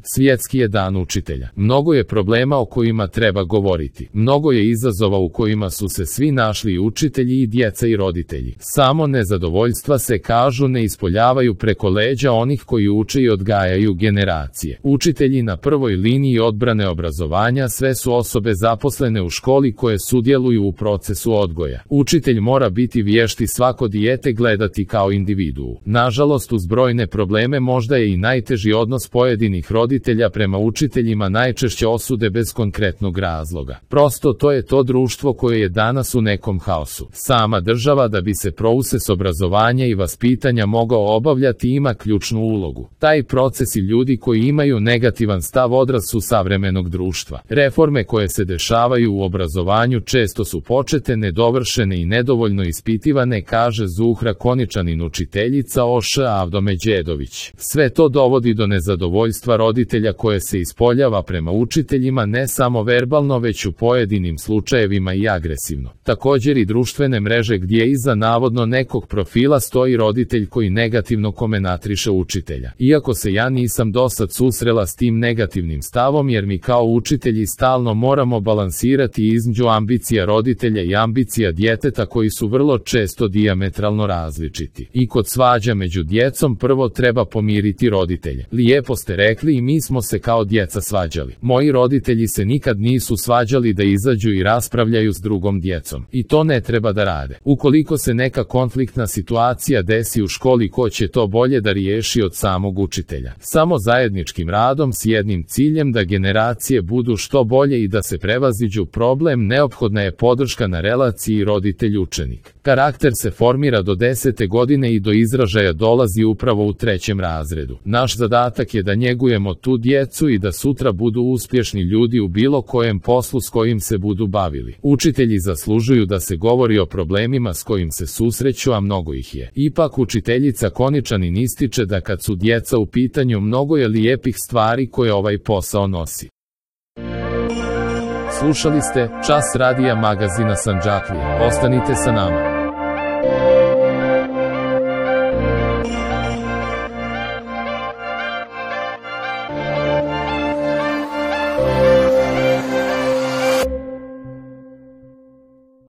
Svjetski je dan učitelja. Mnogo je problema o kojima treba govoriti. Mnogo je izazova u kojima su se svi našli, i učitelji i djeca i roditelji. Samo nezadovoljstva se, kažu, ne ispoljavaju preko leđa onih koji uče i odgajaju generacije. Učitelji na prvoj liniji odbrane obrazovanja sve su osobe zaposlene u školi koje sudjeluju u procesu odgoja. Učitelj mora biti vješt i svako dijete gledati kao individuu. Nažalost, uz brojne probleme možda je i najteži odnos pojedinih roditelja prema učiteljima, najčešće osude bez konkretnog razloga. Prosto to je to društvo koje je danas u nekom haosu. Sama država, da bi se proces obrazovanja i vaspitanja mogao obavljati, ima ključnu ulogu. Taj proces i ljudi koji imaju negativan stav odraz su savremenog društva. Reforme koje se dešavaju u obrazovanju često su počete, nedovršene i nedovoljno ispitivane, kaže Zuhra Koničanin, učiteljica OŠ Avdome Đedović. Sve to dovodi do nezadovoljstva roditelja koje se ispoljava prema učiteljima ne samo verbalno, već u pojedinim slučajevima i agresivno. Također i društvene mreže gdje iza navodno nekog profila stoji roditelj koji negativno komenatriše učitelja. Iako se ja nisam dosad susrela s tim negativnim stavom, jer mi kao učitelji stalno moramo balansirati između ambicija roditelja i ambicija djeteta koji su vrlo često dijametralno različiti. I kod svađa među djecom prvo treba pomiriti roditelje. Lijepo ste rekli, i mi smo se kao djeca svađali. Moji roditelji se nikad nisu svađali da izađu i raspravljaju s drugom djecom. I to ne treba da rade. Ukoliko se neka konfliktna situacija desi u školi, ko će to bolje da riješi od samog učitelja? Samo zajedničkim radom s jednim ciljem, da generacije budu što bolje i da se prevaziđu problem, neophodna je podrška na relaciji roditelj-učenik. Karakter se formira do 10. godine i do izražaja dolazi upravo u 3. razredu. Naš zadatak je da njegujemo tu djecu i da sutra budu uspješni ljudi u bilo kojem poslu s kojim se budu bavili. Učitelji zaslužuju da se govori o problemima s kojim se susreću, a mnogo ih je. Ipak učiteljica Koničanin ističe da kad su djeca u pitanju, mnogo je lijepih stvari koje ovaj posao nosi. Slušali ste Čas radija magazina Sandžaklija. Ostanite sa nama.